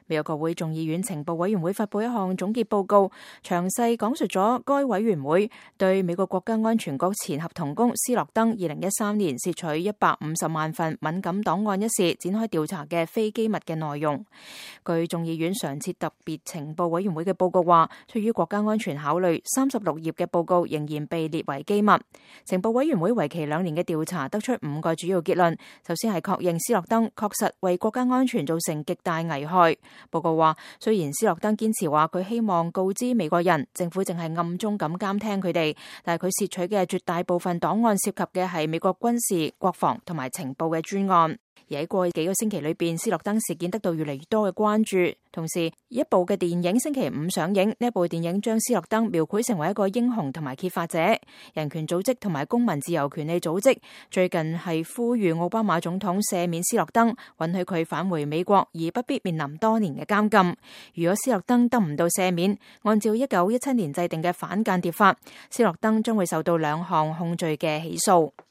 美國國會眾議院情報委員會發布一項總結報告，詳細講述咗該委員會對美國國家安全局前合同工斯諾登2013年竊取150萬份敏感檔案一事展開調查嘅非機密嘅內容。據眾議院常設特別情報委員會嘅報告話，出於國家安全考慮，36頁嘅報告仍然被列為機密。情報委員會為期2年嘅調查得出5個主要結論。首先係確認斯諾登確實為國家安全造成極大危害。報告話，雖然斯諾登堅持話佢希望告知美國人，政府淨係暗中咁監聽佢哋，但係佢竊取嘅絕大部分檔案涉及嘅係美國軍事、國防同埋情報嘅專案。而喺過去幾個星期裏邊，斯諾登事件得到越嚟越多嘅關注。同時，一部嘅電影星期5上映，呢一部電影將斯諾登描繪成為一個英雄同埋揭發者。人權組織同埋公民自由權利組織最近係呼籲奧巴馬總統赦免斯諾登，允許佢返回美國，而不必面臨多年嘅監禁。如果斯諾登得唔到赦免，按照1917年制定嘅反間諜法，斯諾登將會受到2項控罪嘅起訴。